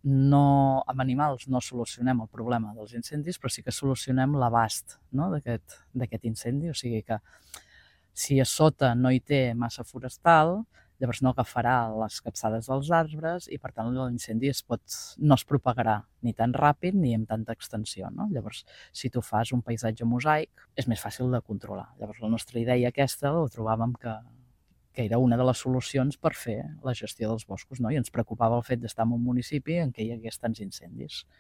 No, amb animals no solucionem el problema dels incendis, però sí que solucionem l'abast, no, d'aquest incendi. O sigui que si a sota no hi té massa forestal, llavors no agafarà les capçades dels arbres i, per tant, l'incendi no es propagarà ni tan ràpid ni amb tanta extensió, no? Llavors, si tu fas un paisatge mosaic, és més fàcil de controlar. Llavors, la nostra idea aquesta la trobàvem que era una de les solucions per fer la gestió dels boscos, no? I ens preocupava el fet d'estar en un municipi en què hi hagués tants incendis.